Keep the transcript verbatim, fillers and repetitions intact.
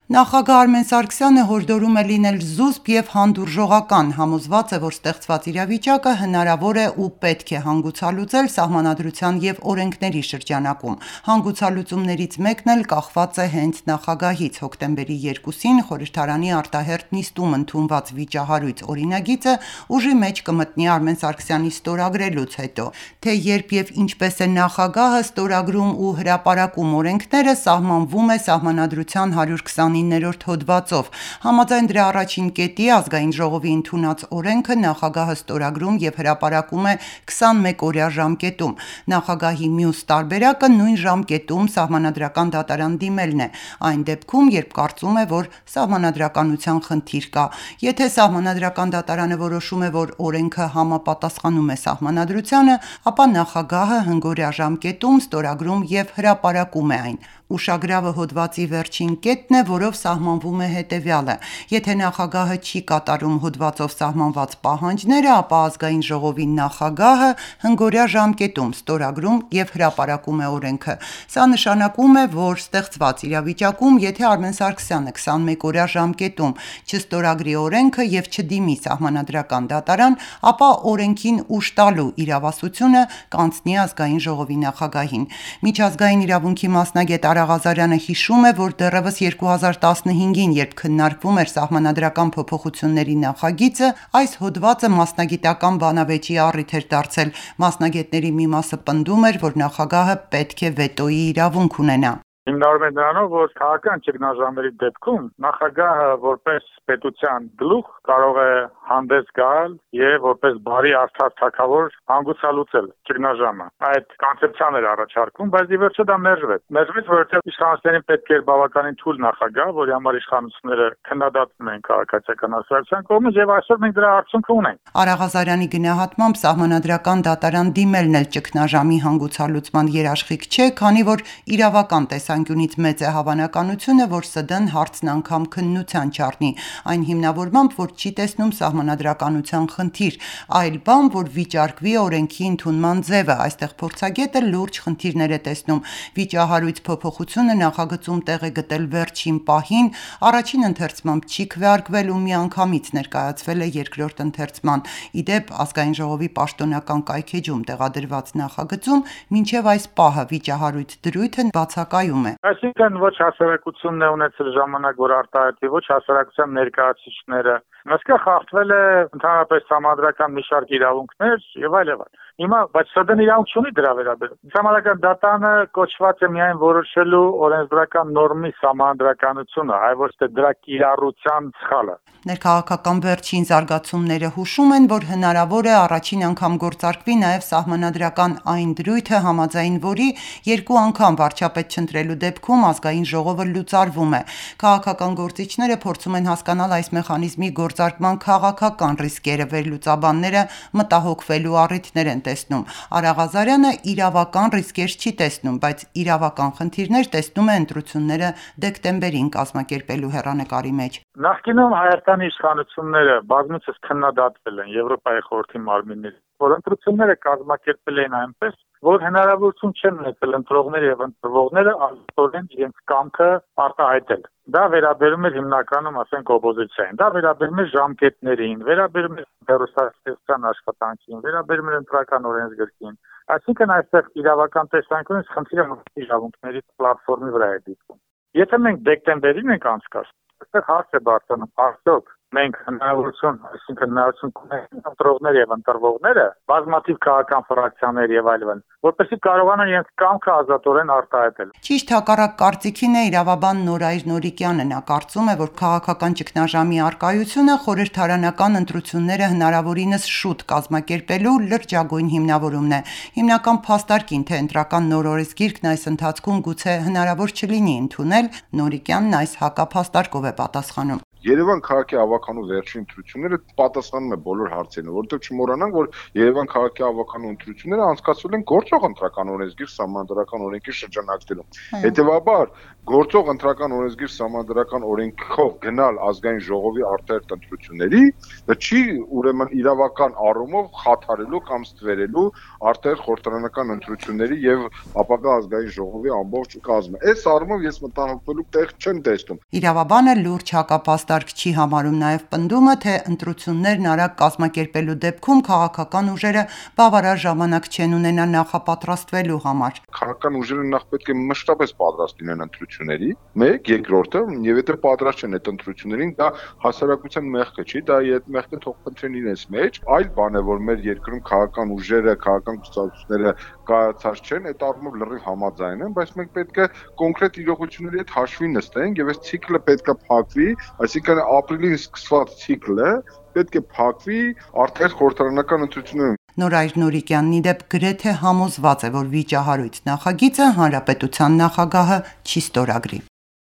Նախագահ Արմեն Սարգսյանը հորդորում է լինել զուսպ և հանդուրժողական, համոզված է, որ ստեղծված իրավիճակը հնարավոր է ու պետք է հանգուցալուծել Սահմանադրության և օրենքների շրջանակում։ Հանգուցալուծումներից մեկն էլ կախված է հենց նախագահից։ Հոկտեմբերի երկուսին խորհրդարանի արտահերթ նիստում ընդունված վիճահարույց օրինագիծը ուժի մեջ կմտնի Արմեն Սարգսյանի ստորագրելուց հետո։ Թե երբ և ինչպես է նախագահը ստորագրում ու հրապարակում օրենքները, սահմանվում է Սահմանադրության հարյուր քսանիններորդ հոդվածով։ Համաձայն դրա առաջին կետի Ազգային ժողովի ընդունած օրենքը նախագահը ստորագրում և հրապարակում է քսանմեկ-օրյա ժամկետում։ Նախագահի մյուս տարբերակը նույն ժամկետում Սահմանադրական դատարան դիմելն է, այն դեպքում, երբ կարծում է, որ սահմանադրականության խնդիր կա։ Եթե Սահմանադրական դատարանը որոշում է, որ օրենքը համապատասխանում է Սահմանադրությանը, ապա նախագահը հնգօրյա ժամկետում ստորագրում և հրապարակում է այն։ Ուշագրավը հոդվածի վերջին կետն է, որով սահմանվում է հետևյալը. եթե նախագահը չի կատարում հոդվածով սահմանված պահանջները, ապա Ազգային ժողովի նախագահը հնգօրյա ժամկետում ստորագրում և հրապարակում է օրենքը։ Սա նշանակում է, որ ստեղծված իրավիճակում, եթե Արմեն Սարգսյանը քսանմեկ-օրյա ժամկետում չստորագրի օրենքը և չդիմի Սահմանադրական դատարան, ապա օրենքին ուժ տալու իրավասությունը կանցնի Ազգային ժողովի նախագահին։ Միջազգային իրավունքի մասնագետ Արա Ղազարյանը հիշում է, որ դեռևս երկու հազար տասնհինգին, երբ քննարկվում էր Սահմանադրական փոփոխությունների նախագիծը, այս հոդվածը մասնագիտական բանավեճի առիթ էր դարձել։ Մասնագետների մի մասը պնդում էր, որ նախագահը պետք է վետոյի իրավունք ունենա։ Հիմնարվում է նրանով, որ քաղաքական ճգնաժամերի դեպքում նախագահը որպես պետության գլուխ կարող է հանդես գալ եւ որպես բարի արդար թագավոր հանգուցալուծել ճգնաժամը։ Այդ կոնցեպցիան էր առաջարկում, բայց ի վերջո դա մերժվեց։ Մերժվեց, որովհետեւ իշխանություններին պետք էր բավականին թույլ նախագահ, որի համար իշխանությունները քննադատում են քաղաքացիական ասոցիացիան կողմից, եւ այսօր մենք դրա արդյունքը ունենք։ Արա Ղազարյանի գնահատմամբ Սահմանադրական դատարան դիմելն էլ ճգնաժամի հանգուցալուծման երաշխիք չէ, քանի որ իրավական տեսանկյունից մեծ է հավանականությունը, որ ՍԴ-ն հարցն անգամ քննության չառնի, այն հիմնավորմամբ, որ չի տեսնում սահմանադրականության խնդիր, այլ բան, որ վիճարկվի օրենքի ընդունման ձևը։ Այստեղ փորձագետը լուրջ խնդիրներ է տեսնում։ Վիճահարույց փոփոխությունը նախագծում տեղ է գտել վերջին պահին, առաջին ընթերցմամբ չի քվեարկվել ու միանգամից ներկայացվել է երկրորդ ընթերցման։ Ի դեպ, Ազգային ժողովի պաշտոնական կայքէջում տեղադրված նախագծում մինչև այս պահը վիճահարույց դրույթը բացակայում է։ Այսինքն ոչ հասարակությունն է ունեցել ժամանակ, որ արտահայտվի, ոչ հասարակության ներկայացուցիչները։ Այսքա խախտվել է ընդհանրապես համադրական մի շարք իրավունքներ եւ այլ եւ այլ։ Հիմա բայց ՍԴ-ն իրավունք չունի դրա վերաբերյալ։ Համադրական դատարանը կոչված է միայն որոշելու օրենսդրական նորմի համադրականությունը, այլ ոչ թե դրա կիրառության սխալը։ Ներքաղաքական վերջին զարգացումները հուշում են, որ հնարավոր է առաջին անգամ գործարկվի նաև սահմանադրական այն դրույթը, համաձայն որի երկու անգամ վարչապետ չընտրելու դեպքում Ազգային ժողովը լուծարվում է։ Քաղաքական գործիչները փորձում են հասկանալ այս մեխանիզմի գործարկման քաղաքական ռիսկերը, վերլուծաբանները մտահոգվելու առիթներ են տեսնում։ Արա Ղազարյանը իրավական ռիսկեր չի տեսնում, բայց իրավական խնդիրներ տեսնում է ընտրությունները դեկտեմբերին կազմակերպելու հեռանկարի մեջ։ Նախկինում Հայաստանի իշխանությունները բազմիցս քննադատվել են Եվրոպայի խորհրդի մարմինների, որ ընտրությունները կազմակերպել են այնպես, որ հնարավորություն չեն ունեցել ընտրողները եւ ընտրվողները ազատորեն իրենց կամքը արտահայտել։ Դա վերաբերում է հիմնականում, ասենք, օպոզիցիային, դա վերաբերում է ժամկետներին, վերաբերում է հեռուստատեսության աշխատանքին, վերաբերում է ընտրական օրենսգրքին։ Այսինքն այստեղ իրավական տեսանկյունից խնդիրը իրավունքների պլատֆորմի վրա է դիտվում։ Եթե մենք դեկտեմբերին ենք անցկացնում, այստեղ հարց է բարձրանում, արդյոք մենք հնարավորություն, այսինքն հնարավորություն կունենանք ընտրողներ եւ ընտրվողները, բազմաթիվ քաղաքական ֆրակցիաներ եւ այլն, որպեսզի կարողանան իրենց կամքը ազատորեն արտահայտել։ Ճիշտ հակառակ կարծիքին է իրավաբան Նորայր Նորիկյանը։ Նա կարծում է, որ քաղաքական ճգնաժամի առկայությունը խորհրդարանական ընտրությունները հնարավորինս շուտ կազմակերպելու լրջագույն հիմնավորումն է։ Հիմնական փաստարկին, թե ընտրական նոր օրենսգիրքն այս ընթացքում գուցե հնարավոր չլինի ընդունել, Նորիկյանն այս հակափաստարկով է պատասխանում։ Երևան քաղաքի ավականու վերջին ընտրությունները պատասխանում է բոլոր հարցերին, որովհետև չմոռանանք, որ Երևան քաղաքի ավականու ընտրությունները անցկացվել են գործող ընտրական օրենսգիր սահմանադրական օրենքի շրջանակներում։ Հետևաբար, գործող ընտրական օրենսգիր սահմանադրական օրենքով գնալ ազգային ժողովի արտահերթ ընտրությունների, դա չի ուրեմն իրավական առումով խաթարելու կամ ստվերելու արտահերթ խորհրդարանական ընտրությունների եւ ապագա ազգային ժողովի ամբողջ կազմը։ Այս առումով ես մտահոգվելու տեղ չեմ տեսնում։ Իրավաբանը լուրջ հակապաստարկ չի համարում նաև պնդումը, թե ընտրություններն արագ կազմակերպելու դեպքում քաղաքական ուժերը բավարար ժամանակ չեն ունենա նախապատրաստվելու համար։ Քաղաքական ուժերը նախ պետք է մշտապես պատրաստ լինեն ընտրությունների, մեկ, երկրորդը, եւ եթե պատրաստ չեն այդ ընտրություններին, դա հասարակության մեղքը չի, դա այդ մեղքը թող փնտրեն իրենց մեջ, այլ բան է, որ մեր երկրում քաղաքական ուժերը, քաղաքական կուսակցությունները կայացած չեն, այդ առումով լրիվ համաձայն են, բայց մենք պետք է կոնկրետ իրողությունների հետ հաշվի նստենք եւ այս ցիկլը պետք է փակվի, այսինքն ապրիլին սկսված ցիկլը պետք է փակվի արտահերթ խորհրդարանական ընտրություններում։ Նորայր Նորիկյանն ի դեպ գրեթե համոզված է, որ վիճահարույց նախագիծը հանրապետության նախագահը չի ստորագրի։